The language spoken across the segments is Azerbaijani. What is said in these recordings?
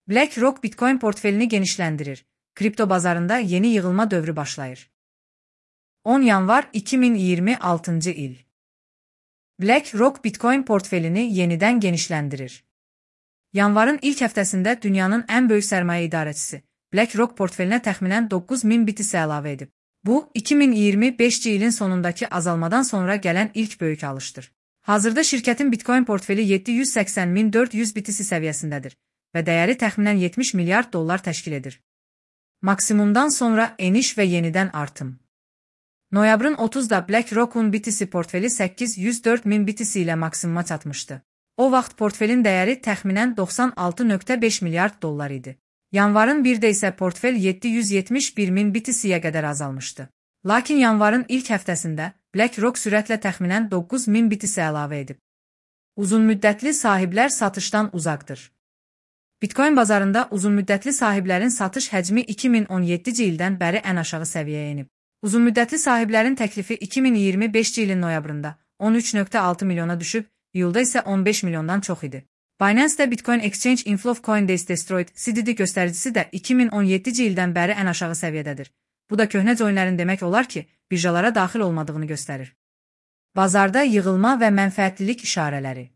BlackRock Bitcoin portfelini genişləndirir. Kripto bazarında yeni yığılma dövrü başlayır. 10 yanvar 2026 il. BlackRock Bitcoin portfelini yenidən genişləndirir. Yanvarın ilk həftəsində dünyanın ən böyük sərmayə idarəçisi BlackRock portfelinə təxminən 9000 BTC əlavə edib. Bu, 2025 ilin sonundakı azalmadan sonra gələn ilk böyük alışdır. Hazırda şirkətin Bitcoin portfeli 780.400 BTC səviyyəsindədir və dəyəri təxminən 70 milyard dollar təşkil edir. Maksimumdan sonra eniş və yenidən artım. Noyabrın 30-da BlackRock'un BTC portfeli 804.000 BTC ilə maksimuma çatmışdı. O vaxt portfelin dəyəri təxminən 96.5 milyard dollar idi. Yanvarın 1-də isə portfel 771.000 BTC-yə qədər azalmışdı. Lakin yanvarın ilk həftəsində BlackRock sürətlə təxminən 9000 BTC əlavə edib. Uzunmüddətli sahiblər satışdan uzaqdır. Bitcoin bazarında uzunmüddətli sahiblərin satış həcmi 2017-ci ildən bəri ən aşağı səviyyəyə enib. Uzunmüddətli sahiblərin təklifi 2025 ilin noyabrında 13.6 milyona düşüb, iyulda isə 15 milyondan çox idi. Binance-də Bitcoin Exchange Inflow Coinbase Destroyed CDD göstəricisi də 2017-ci ildən bəri ən aşağı səviyyədədir. Bu da köhnə coinlərin demək olar ki, birjalara daxil olmadığını göstərir. Bazarda yığılma və mənfəətlilik işarələri.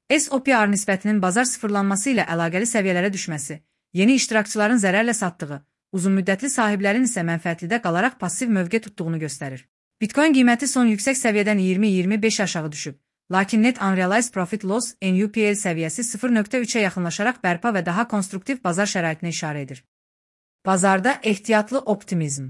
S&P nisbətinin bazar sıfırlanması ilə əlaqəli səviyyələrə düşməsi, yeni iştirakçıların zərərlə satdığı, uzunmüddətli sahiblərin isə mənfəətlidə qalaraq passiv mövqe tutduğunu göstərir. Bitcoin qiyməti son yüksək səviyyədən 20-25 aşağı düşüb, lakin Net Unrealized Profit Loss NUPL səviyyəsi 0.3-ə yaxınlaşaraq bərpa və daha konstruktiv bazar şəraitinə işarə edir. Bazarda ehtiyatlı optimizm.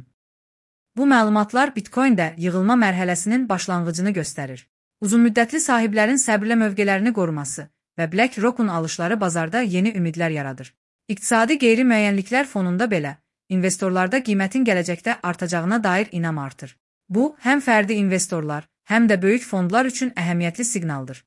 Bu məlumatlar Bitcoin-də yığılma mərhələsinin başlanğıcını göstərir. Uzunmüddətli sahiblərin səbrlə mövqələrini qoruması və BlackRock'un alışları bazarda yeni ümidlər yaradır. İqtisadi qeyri-müəyyənliklər fonunda belə, investorlarda qiymətin gələcəkdə artacağına dair inam artır. Bu, həm fərdi investorlar, həm də böyük fondlar üçün əhəmiyyətli siqnaldır.